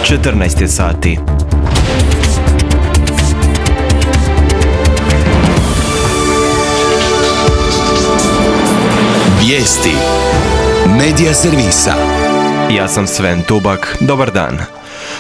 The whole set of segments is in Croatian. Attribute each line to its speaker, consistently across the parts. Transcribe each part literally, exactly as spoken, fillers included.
Speaker 1: četrnaest je sati.
Speaker 2: Vijesti Medija servisa.
Speaker 1: Ja sam Sven Tubak, dobar dan.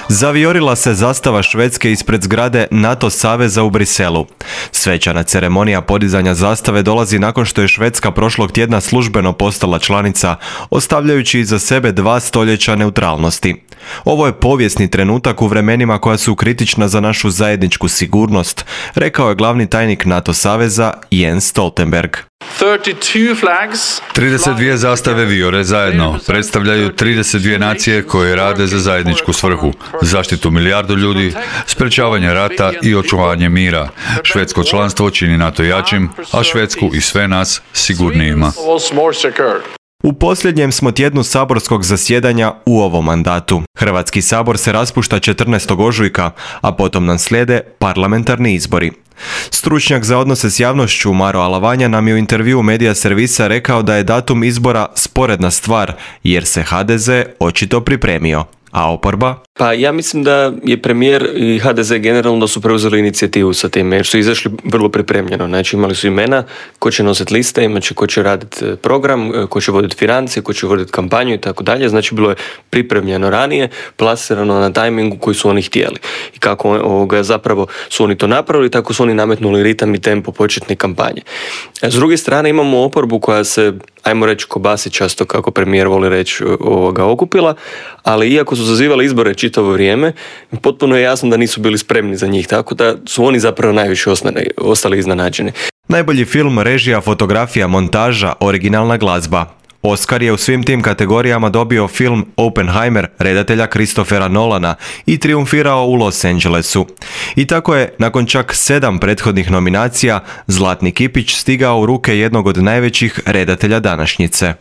Speaker 1: Zavijorila se zastava Švedske ispred zgrade NATO saveza u Briselu. Svečana ceremonija podizanja zastave dolazi nakon što je Švedska prošlog tjedna službeno postala članica, ostavljajući iza sebe dva stoljeća neutralnosti. Ovo je povijesni trenutak u vremenima koja su kritična za našu zajedničku sigurnost, rekao je glavni tajnik NATO saveza Jens Stoltenberg.
Speaker 3: trideset dvije zastave vijore zajedno predstavljaju trideset dvije nacije koje rade za zajedničku svrhu, zaštitu milijardu ljudi, sprečavanje rata i očuvanje mira. Švedsko članstvo čini NATO jačim, a Švedsku i sve nas sigurnijima.
Speaker 1: U posljednjem smo tjednu saborskog zasjedanja u ovom mandatu. Hrvatski sabor se raspušta četrnaestog ožujka, a potom nam slijede parlamentarni izbori. Stručnjak za odnose s javnošću Maro Alavanja nam je u intervjuu Medija servisa rekao da je datum izbora sporedna stvar, jer se ha de ze očito pripremio. A oporba?
Speaker 4: Pa ja mislim da je premijer i ha de ze generalno da su preuzeli inicijativu sa tim, jer su izašli vrlo pripremljeno. Znači imali su imena ko će nositi liste, imat će ko će raditi program, ko će voditi financije, ko će voditi kampanju i tako dalje. Znači bilo je pripremljeno ranije, plasirano na tajmingu koji su oni htjeli. I kako ovoga, zapravo su oni to napravili, tako su oni nametnuli ritam i tempo početne kampanje. S druge strane imamo oporbu koja se, ajmo reći, kobasi často, kako premijer voli reći, ovoga, okupila, ali iako su zazivali izbore čitavo vrijeme, potpuno je jasno da nisu bili spremni za njih, tako da su oni zapravo najviše ostali, ostali iznenađeni.
Speaker 1: Najbolji film, režija, fotografija, montaža, originalna glazba. Oscar je u svim tim kategorijama dobio film Oppenheimer redatelja Christophera Nolana i triumfirao u Los Angelesu. I tako je, nakon čak sedam prethodnih nominacija, Zlatni kipić stigao u ruke jednog od najvećih redatelja današnjice.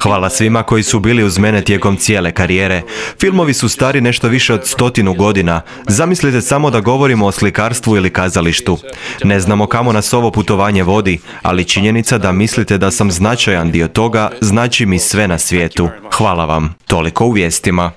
Speaker 1: Hvala svima koji su bili uz mene tijekom cijele karijere. Filmovi su stari nešto više od stotinu godina. Zamislite samo da govorimo o slikarstvu ili kazalištu. Ne znamo kamo nas ovo putovanje vodi, ali činjenica da mislite da sam značajan dio toga znači mi sve na svijetu. Hvala vam. Toliko u vijestima.